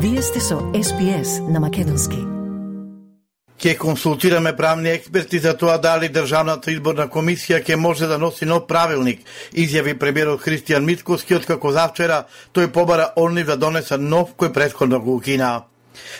Вие сте со SPS на македонски. Ќе консултираме правни експерти за тоа дали Државната изборна комисија ќе може да носи нов правилник, изјави премиерот Христијан Мицкоски, откако завчера тој побара онлив да донеса нов кој претходно го укина.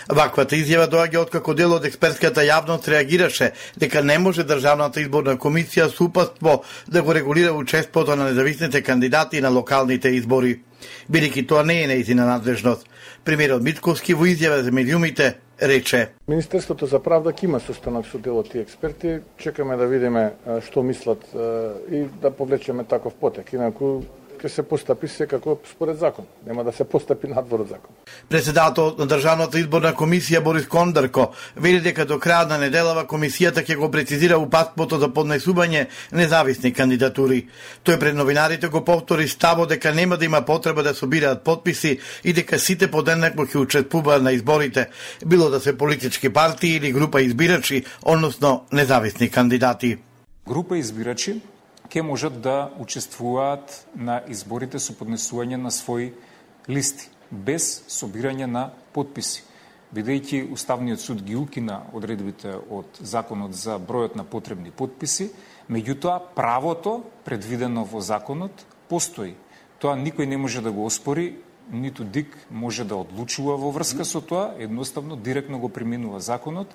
Ваквата изјава доаѓа откако дел од експертската јавност реагираше дека не може Државната изборна комисија со упатство да го регулира учеството на независните кандидати на локалните избори, бидејќи тоа не е нејзина надлежност. Премиерот Мицкоски во изјава за медиумите рече: Министерството за правда ќе има состанок со дел од тие експерти, чекаме да видиме што мислат и да повлечеме таков потек, инаку ќе се постапи секако според закон, нема да се постапи надвор од закон. Председателот на Државната изборна комисија Борис Кондарко вели дека до крајот на неделава комисијата ќе го прецизира упатството за поднесување независни кандидатури. Тој пред новинарите го повтори ставот дека нема да има потреба да собираат потписи и дека сите подеднакво ќе учествуваат на изборите, било да се политички партии или група избирачи, односно независни кандидати. Група избирачи ќе можат да учествуваат на изборите со поднесување на своји листи, без собирање на потписи. Бидејќи Уставниот суд ги укина одредбите од Законот за бројот на потребни потписи, меѓутоа правото предвидено во законот постои. Тоа никој не може да го оспори, ниту ДИК може да одлучува во врска со тоа, едноставно директно го применува законот,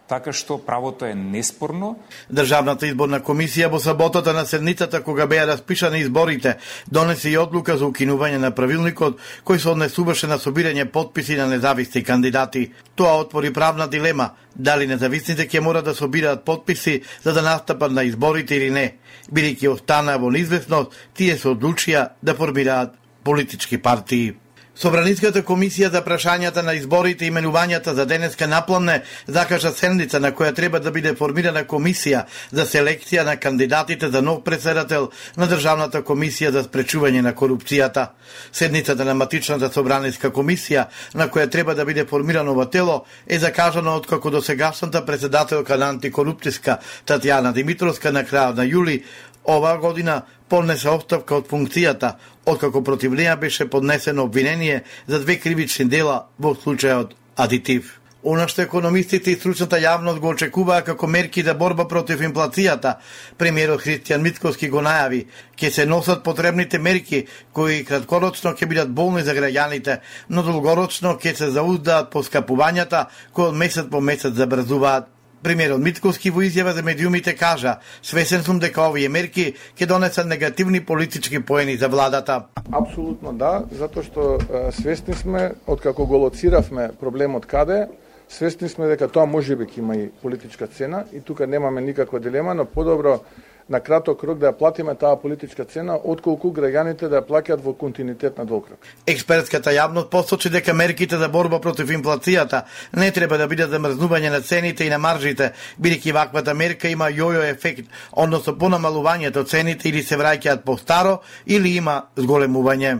така што правото е неспорно. Државната изборна комисија во саботата на седницата кога беа распишани изборите донесе и одлука за укинување на правилникот кој се однесуваше на собирање потписи на независни кандидати. Тоа отвори правна дилема дали независните ќе мора да собираат потписи за да настапат на изборите или не, бидејќи останаа во неизвестност, тие се одлучија да формираат политички партии. Собраниската комисија за прашањата на изборите и именувањата за денеска напламне закажа седница на која треба да биде формирана комисија за селекција на кандидатите за нов претседател на Државната комисија за спречување на корупцијата. Седницата на матичната собраниска комисија на која треба да биде формирано ова тело е закажана откако досегашната претседателка на антикорупцијска Татјана Димитровска на крајот на јули оваа година поднесе оставка од функцијата, откако против неја беше поднесено обвинение за 2 кривични дела во случајот Адитив. Она што економистите и стручната јавност го очекуваа како мерки за борба против инфлацијата, премиерот Христијан Мицкоски го најави, ќе се носат потребните мерки кои краткорочно ќе бидат болни за граѓаните, но долгорочно ќе се зауздаат поскапувањата кои од месец по месец забрзуваат. Премиерот Мицкоски во изјава за медиумите кажа: "Свесен сум дека овие мерки ќе донесат негативни политички поени за владата." Апсолутно да, затоа што свесни сме откако го лоциравме проблемот каде, свесни сме дека тоа можеби ќе има и политичка цена и тука немаме никаква дилема, но подобро на краток рок да ја платиме таа политичка цена, отколку граѓаните да ја плаќаат во континуитет на долг рок. Експертската јавност посочи дека мерките за борба против инфлацијата не треба да бидат замрзнување на цените и на маржите, бидејќи ваквата мерка има јојо ефект, односно понамалувањето цените или се враќаат по старо или има зголемување.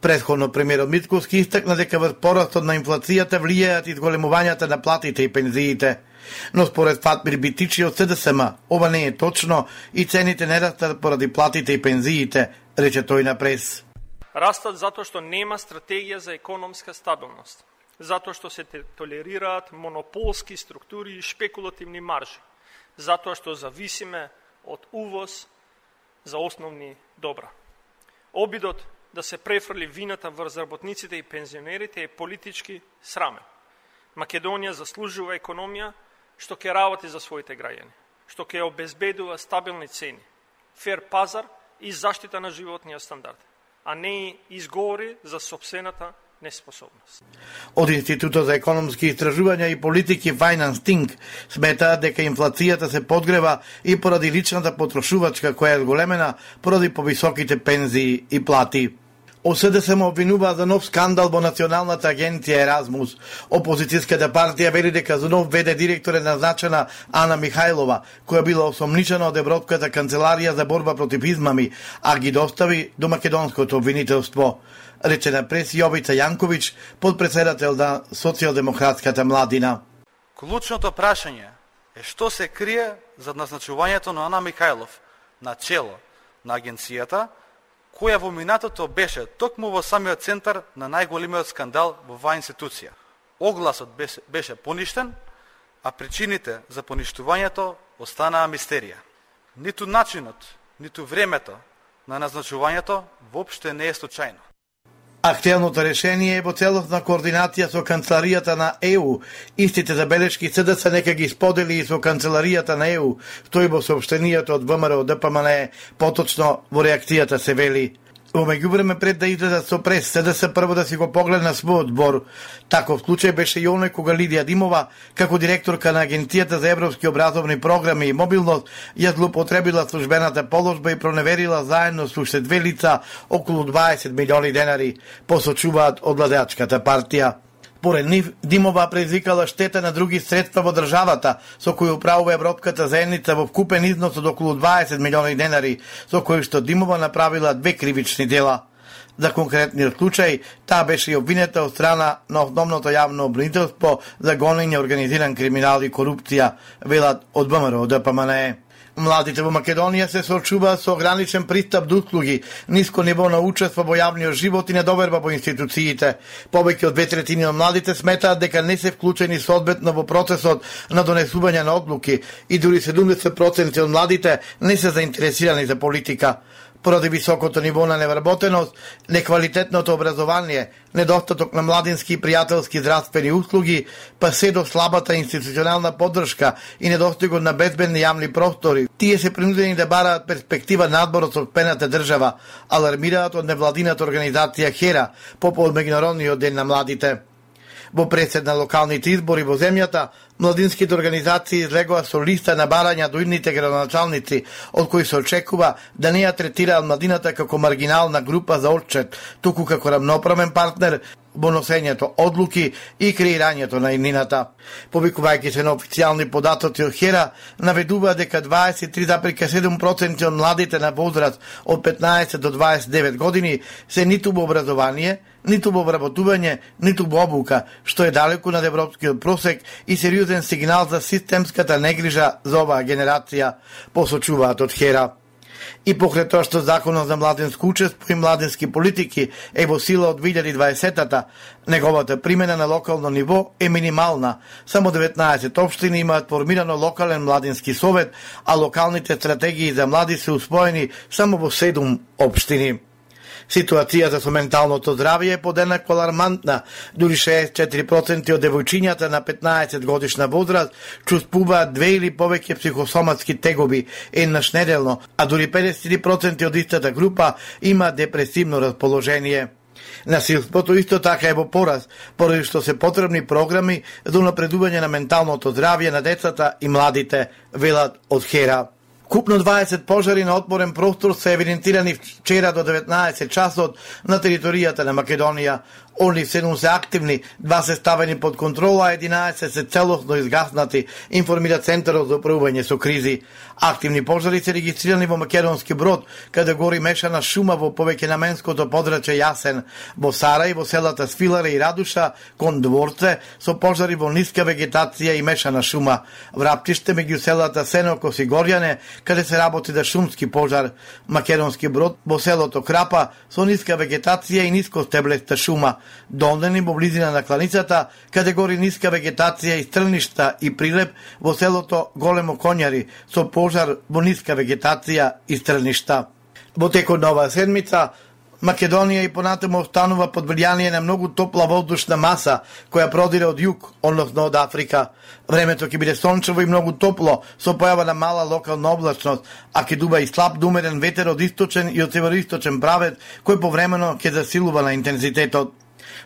Претходно премиерот Мицкоски истакна дека врз порастот на инфлацијата влијаат и зголемувањата на платите и пензиите. Но според Фатмир Битичи од СДСМ, ова не е точно и цените не растат поради платите и пензиите, рече тој на прес. Растат затоа што нема стратегија за економска стабилност, затоа што се толерираат монополски структури и шпекулативни маржи, затоа што зависиме од увоз за основни добра. Обидот да се префрли вината врз работниците и пензионерите е политички срамен. Македонија заслужува економија што ќе работи за своите граѓани, што ќе обезбедува стабилни цени, фер пазар и заштита на животниот стандард, а не и изговори за сопствената неспособност. Од Институтот за економски истражувања и политики Finance Think сметаат дека инфлацијата се подгрева и поради личната потрошувачка која е зголемена поради повисоките пензии и плати. ОСД се му обвинува за нов скандал во Националната агенција Еразмус. Опозицијската партија вели дека за нов ВД директор е назначена Ана Михајлова, која била осомничена од Европската канцеларија за борба против измами, а ги достави до македонското обвинителство. Рече на прес Јовица Јанковиќ, подпредседател на Социјалдемократската младина. Клучното прашање е што се крие за назначувањето на Ана Михајлов на чело на агенцијата, која во минатото беше токму во самиот центар на најголемиот скандал во оваа институција. Огласот беше поништен, а причините за поништувањето останаа мистерија. Ниту начинот, ниту времето на назначувањето воопште не е случајно. Актуелното решение е во целосна координација со канцеларијата на ЕУ. Истите забелешки СДС нека ги сподели и со канцеларијата на ЕУ, стои во соопштенијето од ВМРО ДПМН, поточно во реакцијата се вели. Во меѓувреме пред да излезат со прес, СДС прво да си го погледна својот збор. Таков случај беше и оној кога Лидија Димова, како директорка на Агенцијата за европски образовни програми и мобилност, ја злоупотребила службената положба и проневерила заедно со уште две лица околу 20 милиони денари, посочуваат од владеачката партија. Поред нив, Димова предизвикала штета на други средства во државата, со кои управува Европската заедница во вкупен износ од околу 20 милиони денари, со кои што Димова направила две кривични дела. За конкретниот случај, таа беше и обвинета од страна на основното јавно обвинителство за гонење организиран криминал и корупција, велат од ВМРО ДПМН. Младите во Македонија се соочуваат со ограничен пристап до услуги, ниско ниво на учество во јавниот живот и недоверба во институциите. Повеќе од 2/3 од младите сметаат дека не се вклучени соодветно во процесот на донесување на одлуки и дури 70% од младите не се заинтересирани за политика. Поради високото ниво на невработеност, неквалитетното образование, недостаток на младински и пријателски здравствени услуги, па се до слабата институционална поддршка и недостигот на безбедни јавни простори, тие се принудени да бараат перспектива надбор од сопствената држава, алармираат од невладината организација ХЕРА по меѓународниот ден на младите. Во пресед на локалните избори во земјата, младинските организации излегоа со листа на барања до идните градоначалници, од кои се очекува да не ја третираат младината како маргинална група за отчет, туку како рамноправен партнер во носењето одлуки и креирањето на иднината. Повикувајќи се на официјални податоци од ХЕРА, наведува дека 23,7% од младите на возраст од 15 до 29 години се ниту во образование, ниту во вработување, ниту во обука, што е далеку над европскиот просек и сериозен сигнал за системската негрижа за оваа генерација, посочуваат од ХЕРА. И покрај тоа што законот за младинско учество и младински политики е во сила од 2020-та, неговата примена на локално ниво е минимална. Само 19 општини имаат формирано локален младински совет, а локалните стратегии за млади се усвоени само во 7 општини. Ситуацијата со менталното здравје е подеднакво алармантна. Дури 64% од девојчињата на 15 годишна возраст чувствуваат 2 или повеќе психосоматски тегоби еднаш неделно, а дури 53% од истата група има депресивно расположение. Насилството исто така е во пораз, поради што се потребни програми за унапредување на менталното здравје на децата и младите, велат од ХЕРА. Купно 20 пожари на отворен простор се евидентирани вчера до 19 часот на територијата на Македонија. Они 7 се активни, 2 се ставени под контрола, а 11 се целосно изгаснати, информира Центарот за управување со кризи. Активни пожари се регистрирани во Македонски Брод, каде гори мешана шума во повеќенаменското подрачје Јасен, во Сарај, во селата Свиларе и Радуша, кон Дворце, со пожари во ниска вегетација и мешана шума. Враптиште меѓу селата Сенокос и Горјане, каде се работи за шумски пожар. Македонски Брод во селото Крапа, со ниска вегетација и ниско стеблеста шума. Дондени во близина на кланицата, каде гори ниска вегетација и стрништа и прилеп во селото Големо Конјари, со пожар во ниска вегетација и стрништа. Во текот на оваа седмица, Македонија и понатаму останува под влијание на многу топла воздушна маса, која продира од југ, односно од Африка. Времето ќе биде сончево и многу топло, со појава на мала локална облачност, а ќе дува и слаб до умерен ветер од источен и од североисточен правец, кој повремено ќе засилува на интензитетот.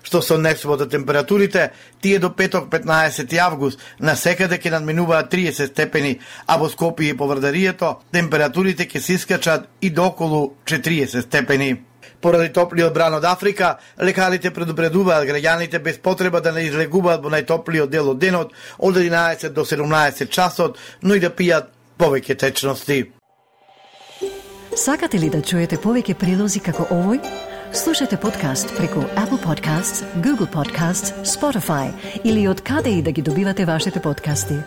Што се однесува до температурите, тие до петок 15 август на секаде ќе надминуваат 30 степени, а во Скопје и Поврдарието температурите ќе се искачат и до околу 40 степени. Поради топлиот бран од Африка, лекарите предупредуваат граѓаните без потреба да не излегуваат во најтоплиот дел од денот од 11 до 17 часот, но и да пијат повеќе течности. Сакате ли да чуете повеќе прилози како овој? Слушате подкаст преку Apple Podcasts, Google Podcasts, Spotify или од каде и да ги добивате вашите подкасти.